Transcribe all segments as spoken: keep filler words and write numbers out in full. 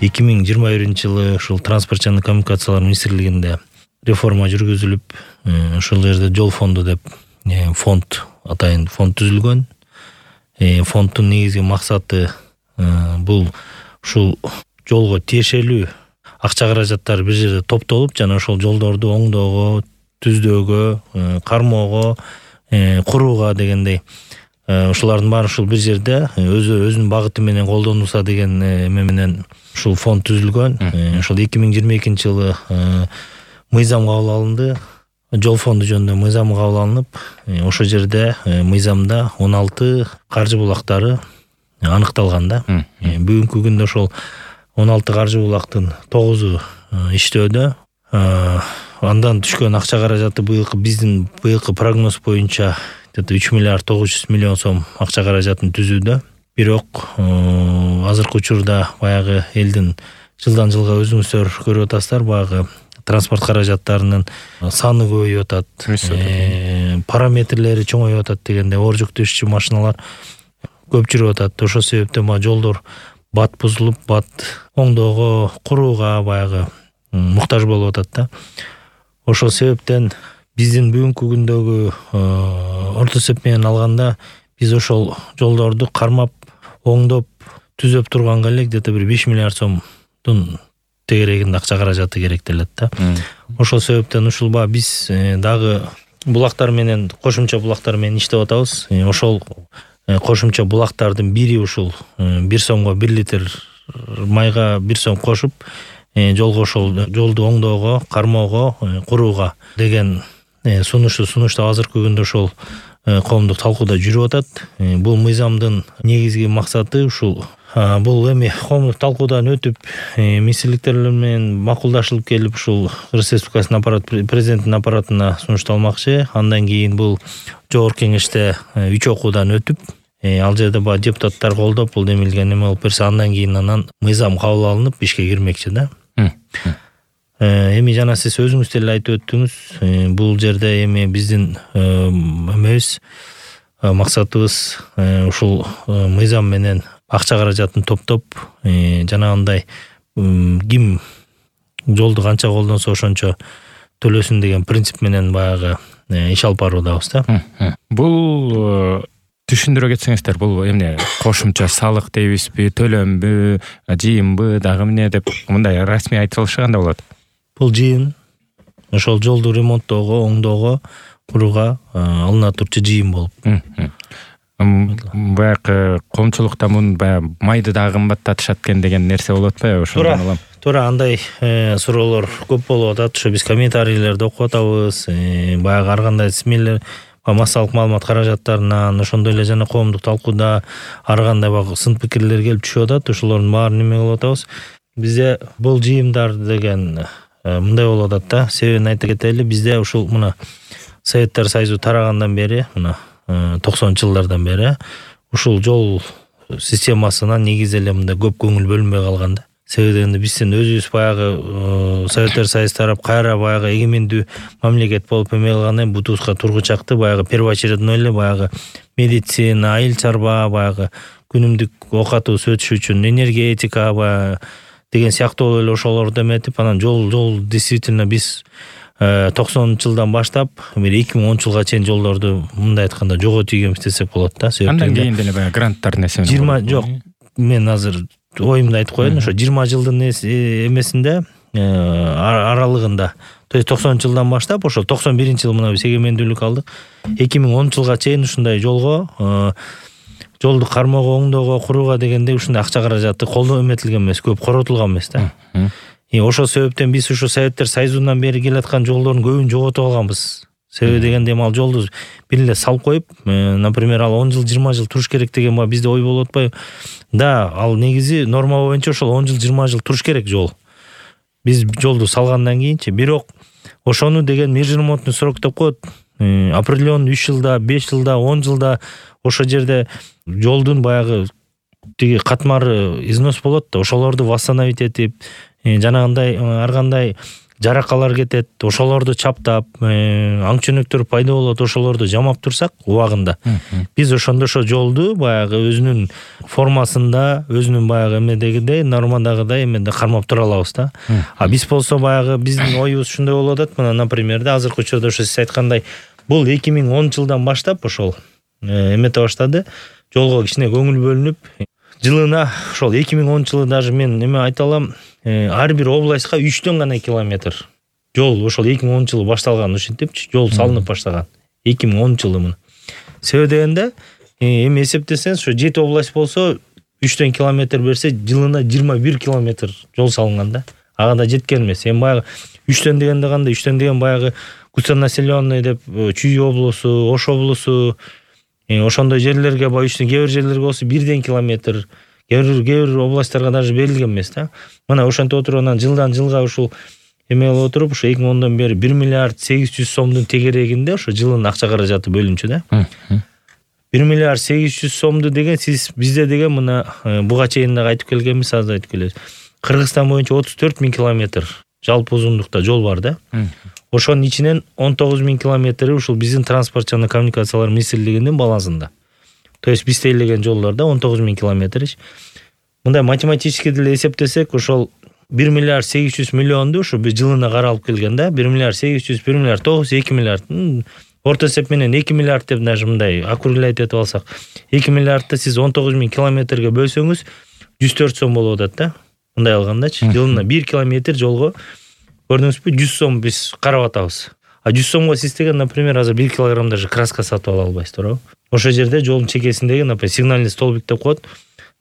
эки миң жыйырма биринчи жылы ушул транспорт жана коммуникациялар министрлигинде реформа жүргүзүлүп, ошол жерде жол фонду деп фонд атайын фонд түзүлгөн. Фонддун негизги максаты бул ушул жолго тиешелүү акча каражаттар бир жерде топтолуп, жана ошол жолдорду оңдоого, түздөөгө, кармоого, курууга дегендей ушулардын баары ушул бир жерде өзү өзүнүн багыты менен колдонулса деген эме менен ушул фонд түзүлгөн. Ошол эки миң жыйырма экинчи жылы мыйзам кабыл алынды. Жол фонду жөнүндө мыйзам кабыл алынып, ошол жерде мыйзамда он алты каржы булактары аныкталган да. Бүгүнкү күндө ошол он алты каржы булактын тогузу иштөөдө. Андан түшкөн акча каражаты быйылкы биздин быйылкы прогноз боюнча үч миллиард тогуз жүз миллион сом акча каражатын түзүүдө. Бирок азыркы учурда баягы элдин жылдан жылга өзүңүздөр көрүп атасыздар, баягы транспорт каражаттарынын саны көбөйүп атат, параметрлери чоңоюп атат дегенде оор жүктөшчү машиналар көп жүрүп атат. Ошол себептен баягы жолдор бат бузулуп, бат оңдоого, курууга баягы муктаж болуп атат да. Ошол себептен биздин бүгүнкү күндөгү орто эсеп менен алганда биз ошол жолдорду кармап, оңдоп, түзөп турганга эле где-то бир беш миллиард сомдун тегерегинде акча каражаты керектелет да. Ошол себептен ушул ба биз дагы булактар менен, кошумча булактар менен иштеп атабыз. Ошол кошумча булактардын бири ушул бир сомго бир литр майга бир сом кошуп, жолго ошол жолду оңдоого, кармоого, курууга деген сунушту сунуштап азыркы күндө ошол коомдук талкууда жүрүп атат. Бул мыйзамдын негизги максаты ушул бул эми коомдук талкуудан өтүп, министрликтер менен макулдашылып келип, ушул Кыргыз Республикасынын аппарат президенттин аппаратына сунушталмакчы. Андан кийин бул жогорку кеңеште үч окуудан өтүп, ал жерде баа депутаттар колдоп, бул демилген эме болуп берсе, андан кийин анан мыйзам кабыл алынып ишке кирмекчи да. Эми жана сиз өзүңүз деле айтып өттүңүз, бул жерде эми биздин эмебиз, максатыбыз ушул мыйзам менен акча каражатын топтоп, жанагындай ким жолду канча колдонсо ошончо төлөсүн деген принцип менен баягы иш алып баруудабыз да. Бул түшүндүрө кетсеңиздер, бул эмне кошумча салык дейбизби, төлөмбү, жыйымбы, дагы эмне деп мындай расмий айтылышы кандай болот? Бул жыйым. Ошол жолду ремонттоого, оңдоого, курууга алына турчу жыйым болуп. Баягы коомчулукта мун баягы майды дагы кымбаттатышат экен деген нерсе болуп атпайбы ошондон улам? Туура, андай суроолор көп болуп атат. Ошо биз комментарийлерди окуп атабыз. Баягы ар кандай смелер, массалык маалымат каражаттарынан, ошондой эле жана коомдук талкууда ар кандай баягы сын пикирлер келип түшүп атат. Ошолордун баарын неме кылып атабыз. Бизде бул жыйымдар деген мындай болуп атат да. Себебин айта кетели, бизде ушул мына Советтер Союзу тарагандан бери, мына токсонунчу жылдардан бери ушул жол системасына негизи эле мындай көп көңүл бөлүнбөй калган да. Себеби дегенде биздин өзүбүз баягы Советтер Союзу тарап кайра баягы эгемендүү мамлекет болуп эме кылгандан кийин бутубузга тургучакты баягы первоочередной эле баягы медицина, айыл чарба, баягы күнүмдүк оокатыбыз өтүш үчүн энергетика баягы деген сыяктуу эле ошолорду эметип, анан жол жол действительно биз токсонунчу жылдан баштап бир эки миң онунчу жылга чейин жолдорду мындай айтканда жоготуп ийгенбиз десек болот да. Андан кийин деле баягы гранттар нерсе менен жыйырма жок, мен азыр оюмду айтып коеюн. Ошо жыйырма жылдын эмесинде аралыгында, то есть токсонунчу жылдан баштап ошол токсон биринчи жылы мына биз эгемендүүлүк алдык. эки миң онунчу жылга чейин ушундай жолго жолду кармоого, оңдоого, курууга дегенде ушундай акча каражаты колдоо эметилген эмес, көп коротулган эмес да. Ошол себептен биз ушу Советтер Союзунан бери келаткан жолдордун көбүн жоготуп алганбыз. Себеби дегенде ал жолду бир эле салып коюп, например, ал он жыл, жыйырма жыл туруш керек деген ба бизде ой болуп атпайбы? Да, ал негизи норма боюнча ошол он жыл, жыйырма жыл туруш керек жол. Биз жолду салгандан кийинчи, бирок ошону деген межремонтный срок деп коет. Определенный үч жылда, беш жылда, он жылда ошол жерде жолдун баягы тиги катмары износ болот да, ошолорду восстановить этип, жанагындай ар кандай жаракалар кетет, ошолорду чаптап, аң чөнөктөр пайда болот, ошолорду жамап турсак убагында, биз ошондо ошо жолду баягы өзүнүн формасында, өзүнүн баягы эмедегидей, нормадагыдай эмеде кармап тура алабыз да. А биз болсо баягы биздин оюбуз ушундай болуп атат. Мына, например, да азыркы учурда ошо сиз айткандай, бул эки миң онунчу жылдан баштап ошол эмете баштады, жолго кичине көңүл бөлүнүп, жылына ошол эки миң онунчу жылы даже мен эме айта алам, ар бир областка үчтөн гана километр жол ошол эки миң онунчу жылы башталган, ушинтипчи жол салынып баштаган эки миң онунчу жылы. Мына себеби дегенде эми эсептесеңиз, ошо жети область болсо үчтөн километр берсе, жылына жыйырма бир километр жол салынган да. Ага да жеткен эмес. Эми баягы үчтөн дегенде кандай? үчтөн деген баягы густонаселенный деп Чүй облусу, Ош облусу, ошондой жерлерге, баягы үчтөн кээ бир жерлерге болсо бирден километр, кээ бир областтарга даже берилген эмес да. Мына ошентип отуруп анан жылдан жылга ушул эме болуп отуруп, ошо эки миң ондон бери бир миллиард сегиз жүз сомдун тегерегинде ошо жылын акча каражаты бөлүнчү да. бир миллиард сегиз жүз сомду деген сиз бизде деген мына буга чейин дагы айтып келгенбиз, азыр айтып келебиз. Кыргызстан боюнча отуз төрт миң километр жалпы узундукта жол бар да. Ошонун ичинен он тогуз миң километри ушул биздин транспорт жана коммуникациялар министрлигинин балансында. То есть биз тейлеген жолдорда он тогуз миң километр. Мындай математически деле эсептесек, ошол бир миллиард сегиз жүз миллионду ушу биз жылына каралып келген да. бир миллиард сегиз жүз, бир миллиард тогуз жүз, эки миллиард. Орто эсеп менен эки миллиард деп даже мындай округлять этип алсак, эки миллиардты сиз он тогуз миң километрге бөлсөңүз жүз төрт сом болуп атат да. Мындай алгандачы, жылына бир километр жолго көрдүңүзбү, жүз сом биз карап атабыз. А жүз сомго сиз деген, например, азыр бир килограмм даже краска сатып ала албайсыз, туурабы? Ошол жерде жолдун чекесиндеги, например, сигнальный столбик деп коет.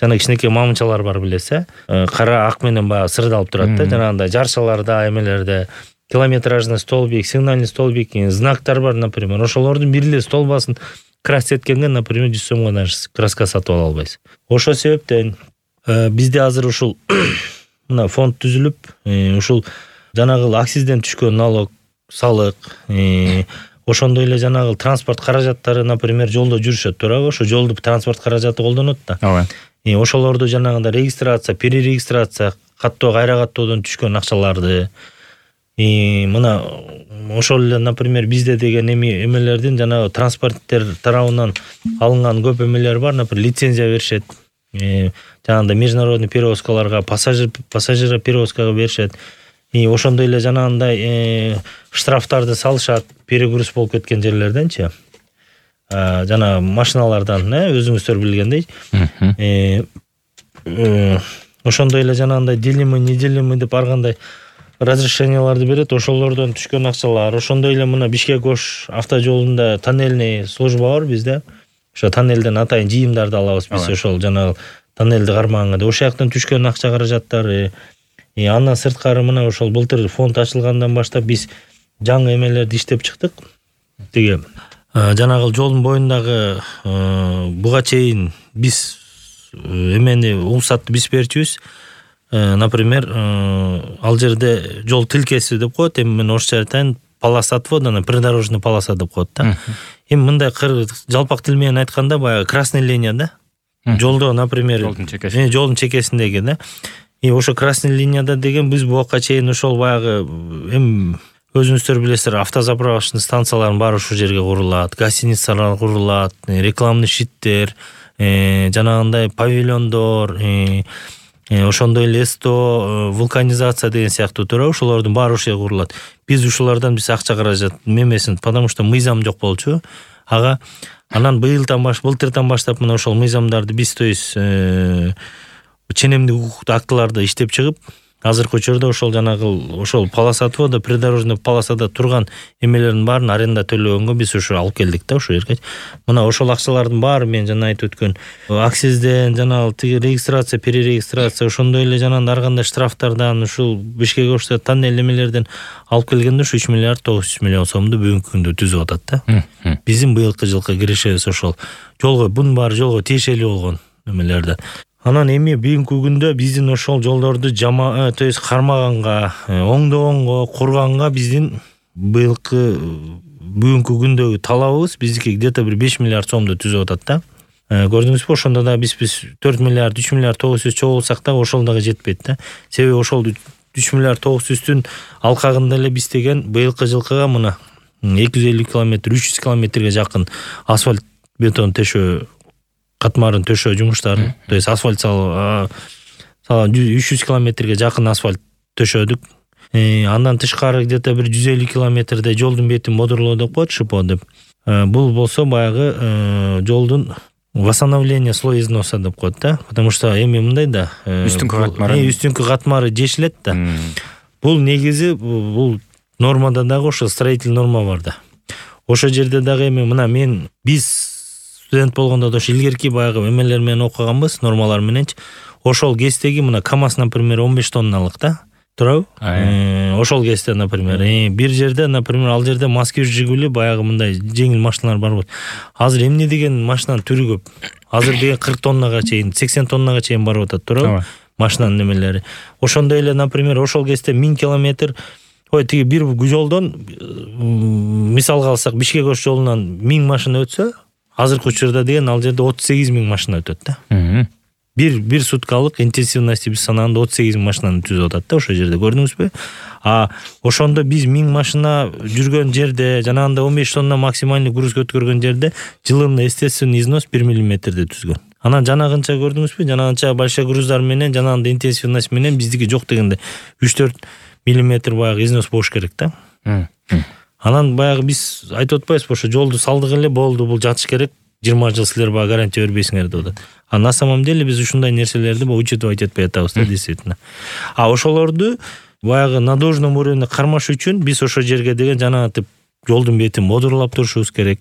Жана кичинекей мамычалар бар, билесиз, э? Кара ак менен баягы сырдалып турат да, жанагындай жарчаларда, эмелерде километражный столбик, сигнальный столбик, знактар бар, например. Ошолордун бир эле столбасын краска эткенге, например, жүз сомго даже краска сатып ала албайсыз. Ошол себептен бизде азыр ушул мына фонд түзүлүп, ушул жанагы акцизден түшкөн налог, салык, ошондой эле жанагы транспорт каражаттары, например, жолдо жүрүшөт, туурабы? Ошо жолду транспорт каражаты колдонот да. Ооба. Ошолорду жанагында регистрация, перерегистрация, каттоо, кайра каттоодон түшкөн акчаларды, мына ошол эле, например, бизде деген эми эмелердин жанагы транспорттер тарабынан алынган көп эмелер бар, например, лицензия беришет. Жанагында международный перевозкаларга, пассажир пассажир перевозкага беришет. И ошондой эле жанагындай штрафтарды салышат, перегруз болуп кеткен жерлерденчи. Жана машиналардан, өзүңүздөр билгендей. Ошондой эле жанагындай делимый, неделимый деп ар кандай разрешенияларды берет, ошолордон түшкөн акчалар. Ошондой эле мына Бишкек-Ош автожолунда тоннельный служба бар бизде. Ошо тоннелден атайын жыйымдарды алабыз биз, ошол жанагы тоннелди кармаганда. Ошол жактан түшкөн акча каражаттары. И андан сырткары мына ошол былтыр фонд ачылгандан баштап биз жаңы эмелерди иштеп чыктык. Тиги жанагы жолдун боюндагы буга чейин биз эмени уруксатты биз берчүбүз. Например, ал жерде жол тилкеси деп коет, эми мен орусча айтайын, полоса отвода, придорожный полоса деп коет да. Эми мындай жалпак тил менен айтканда баягы красный линия да. Жолдо, например, жолдун чекесинде, жолдун чекесиндеги да. И ошо красный линияда деген биз буга чейин ошол баягы эми өзүңүздөр билесиздер, автозаправочный станциялардын баары ушул жерге курулат, гостиницалар курулат, рекламный щиттер, жанагындай павильондор, ошондой эле эсто, вулканизация деген сыяктуу туурабы, ошолордун баары ушул жерге курулат. Биз ушулардан биз акча каражат мемесин, потому что мыйзам жок болчу. Ага анан быйылдан баш, былтырдан баштап мына ошол мыйзамдарды биз то есть ченемдик укуктуу актыларды иштеп чыгып, азыркы учурда ошол жанагы ошол полоса отвода, придорожный полосада турган эмелердин баарын аренда төлөгөнгө биз ушу алып келдик да ошол жерге. Мына ошол акчалардын баары мен жана айтып өткөн акцизден, жанагы тиги регистрация, перерегистрация, ошондой эле жанагы ар кандай штрафтардан, ушул Бишкек-Ошто тоннель эмелерден алып келгенде ушу үч миллиард тогуз жүз миллион сомду бүгүнкү күндө түзүп атат да. Биздин быйылкы жылкы кирешебиз ошол жолго, бунун баары жолго тиешелүү болгон эмелерден. Анан эми бүгүнкү күндө биздин ошол жолдорду жама, то есть кармаганга, оңдогонго, курганга биздин быйылкы бүгүнкү күндөгү талабыбыз биздики где-то бир беш миллиард сомду түзүп атат да. Көрдүңүзбү, ошондо да биз биз төрт миллиард, үч миллиард тогуз жүз чогулсак да ошол дагы жетпейт да. Себеби ошол үч миллиард тогуз жүздүн алкагында эле биз деген быйылкы жылкыга мына эки жүз элүү километр үч жүз километрге жакын асфальт бетон төшөө катмарын төшөө жумуштарын, то есть асфальт салып үч жүз километрге жакын асфальт төшөдүк. Андан тышкары где-то бир жүз элүү километрде жолдун бетин модурлоо деп коет, шипо деп. Бул болсо баягы жолдун восстановление слой износа деп коет да, потому что эми мындай да, үстүнкү катмары үстүнкү катмары жешилет да. Бул негизи бул нормада дагы ошо строительный норма бар да. Ошо жерде дагы эми мына мен биз студент болгондо да ошо илгерки баягы эмелер менен окуганбыз, нормалар мененчи. Ошол кездеги мына КамАЗ, например, он беш тонналык да. Туурабы? Ошол кезде, например, бир жерде, например, ал жерде Москвич, Жигули баягы мындай жеңил машиналар бар болот. Азыр эмне деген машинанын түрү көп. Азыр деген кырк тоннага чейин, сексен тоннага чейин барып атат, туурабы? Машинанын немелери. Ошондой эле, например, ошол кезде миң километр, ой, тиги бир жолдон мисалга алсак, Бишкек Ош жолунан миң машина өтсө, азыркы учурда деген ал жерде отуз сегиз миң машина өтөт да. Бир бир суткалык интенсивности биз санаганда отуз сегиз миң машинаны түзүп атат да ошол жерде, көрдүңүзбү? А ошондо биз миң машина жүргөн жерде, жанагында он беш тонна максимальный груз көткөргөн жерде жылына естественный износ бир миллиметрде түзгөн. Анан жанагынча көрдүңүзбү? Жанагынча большой груздар менен, жанагында интенсивность менен биздики жок дегенде үч төрт миллиметр баягы износ болуш керек да. Анан баягы биз айтып атпайбызбы, ошо жолду салдык эле болду, бул жатыш керек. жыйырма жыл силер баягы гарантия бербейсиңер деп атат. А на самом деле биз ушундай нерселерди учитывать этпей атабыз да, действительно. А ошолорду баягы на должном уровне кармаш үчүн биз ошол жерге деген жанагынтип жолдун бетин модурлап турушубуз керек.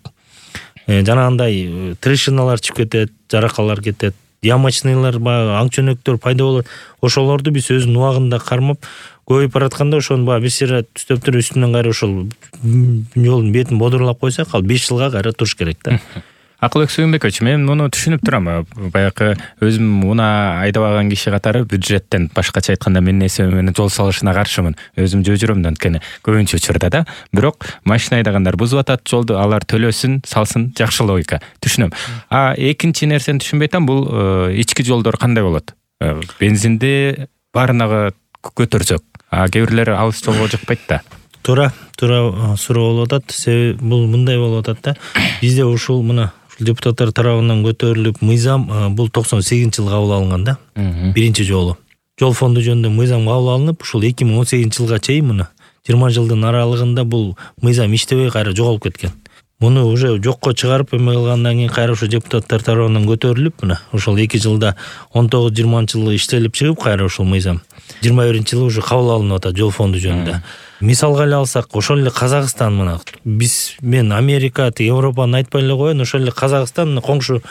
Жанагындай трещиналар чыгып кетет, жаракалар кетет, ямочныйлар баягы аңчөнөктөр пайда болот. Ошолорду биз өзүнүн убагында кармап, көбөйүп баратканда ошону баягы бир сыйра түзөптөр үстүнөн кайра ошол жолдун бетин модурлап койсак, ал беш жылга кайра туруш керек да. Акылбек Сүйүнбекович, мен муну түшүнүп турам. Баягы өзүм унаа айдабаган киши катары бюджеттен, башкача айтканда менин эсебим менен жол салышына каршымын. Өзүм жөө жүрөм да, анткени көбүнчө учурда да. Бирок машина айдагандар бузуп атат жолду, алар төлөсүн, салсын, жакшы логика. Түшүнөм. А экинчи нерсени түшүнбөй атам, бул ички жолдор кандай болот? Бензинди баарынагы көтөрсөк, а кээ бирлери алыс жолго жыкпайт да. Туура, туура суроо болуп атат. Себеби бул мындай болуп атат да. Бизде ушул мына депутаттар тарабынан көтөрүлүп мыйзам бул токсон сегизинчи жылы кабыл алынган да. Биринчи жолу. Жол фонду жөнүндө мыйзам кабыл алынып, ушул эки миң он сегизинчи жылга чейин мына жыйырма жылдын аралыгында бул мыйзам иштебей кайра жоголуп кеткен. Муну уже жокко чыгарып эме кылгандан кийин кайра ошо депутаттар тарабынан көтөрүлүп, мына ошол эки жылда он тогуз жыйырманчы жылы иштелип чыгып кайра ошол мыйзам жыйырма биринчи жылы уже кабыл алынып атат жол фонду жөнүндө. Мисалга эле алсак, ошол эле Казакстан мына биз мен Америка, Европаны айтпай эле коеюн, ошол эле Казакстан коңшу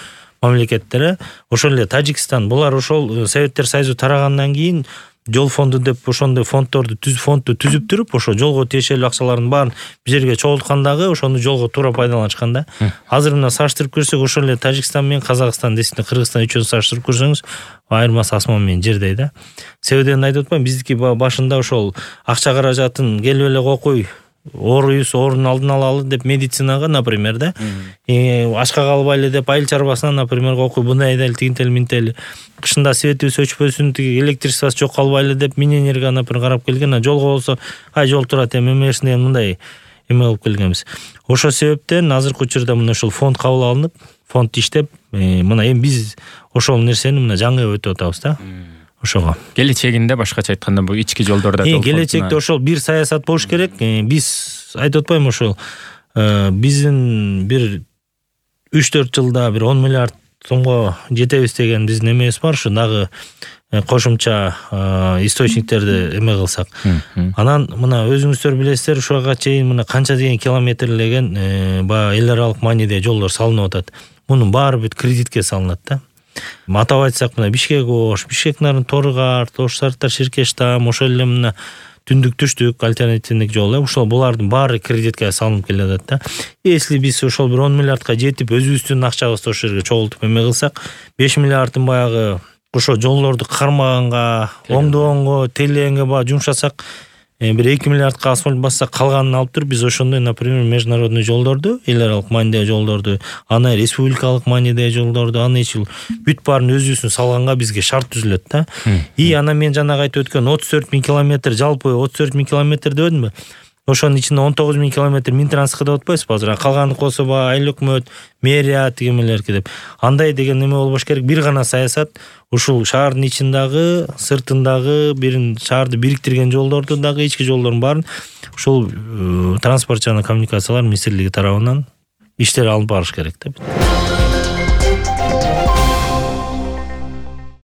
мамлекеттер, ошол эле Тажикстан, булар ошол Советтер Союзу тарагандан кийин жол фонду деп ошондой фонддорду түз фондду түзүп туруп, ошо жолго тиешелүү акчалардын баарын бир жерге чогулткандагы ошону жолго туура пайдаланышкан да. Азыр мына саштырып көрсөк, ошол эле Тажикстан менен Казакстан, десин Кыргызстан үчөөнү саштырып көрсөңүз, айырмасы асман менен жердей да. Себебин айтып атпаймынбы, биздики башында ошол акча каражатын келип эле кокуй, ооруйбуз, оорунун алдын алалы деп медицинага, например, да. Ашка калбайлы деп айыл чарбасына, например, кокуй, мындай айдайлы, тигинтели, минтели. Кышында светибиз өчпөсүн, тиги электричествосы жок калбайлы деп миненерге, например, карап келген. А жолго болсо, ай жол турат эми эмерсин деген мындай эме болуп келгенбиз. Ошол себептен азыркы учурда мына ошол фонд кабыл алынып, фонд иштеп, мына эми биз ошол нерсени мына жаңы өтүп атабыз да. Ошого. Келечегинде башкача айтканда бул ички жолдордо жол. Келечекте ошол бир саясат болуш керек. Биз айтып атпаймынбы, ошол биздин бир үч төрт жылда бир он миллиард сомго жетебиз деген биздин эмебиз бар. Ушу дагы кошумча источниктерди эме кылсак. Анан мына өзүңүздөр билесиздер, ушуга чейин мына канча деген километрлеген баягы эл аралык мааниде жолдор салынып атат. Мунун баары бүт кредитке салынат да. Атап айтсак, мына Бишкек Ош, Бишкек Нарын Торгар, Ош Сарыктар Ширкештам, ошол эле мына түндүк түштүк альтернативдик жол, ошол булардын баары кредитке салынып келе атат да. Если биз ошол бир он миллиардка жетип, өзүбүздүн акчабызды ошол жерге чогултуп эме кылсак, беш миллиардын баягы ошо жолдорду кармаганга, оңдогонго, тейлегенге баягы жумшасак, бир эки миллиардка асфальт бассак калганын алып туруп биз ошондой, например, международный жолдорду, эл аралык маанидеги жолдорду, аны республикалык маанидеги жолдорду, аны эч бүт баарын өзүбүздүн салганга бизге шарт түзүлөт да. И анан мен жанагы айтып өткөн отуз төрт миң километр, жалпы отуз төрт миң километр дебедимби? Ошонун ичинде он тогуз миң километр Минтранск деп атпайсызбы азыр? Калганы Кособа, айыл өкмөт, мэрия тигемелерки деп. Андай деген неме болбош керек. Бир гана саясат ушул шаардын ичиндагы, сыртындагы, бирин шаарды бириктирген жолдорду дагы, ички жолдордун баарын ушул транспорт жана коммуникациялар министрлиги тарабынан иштер алып барыш керек да.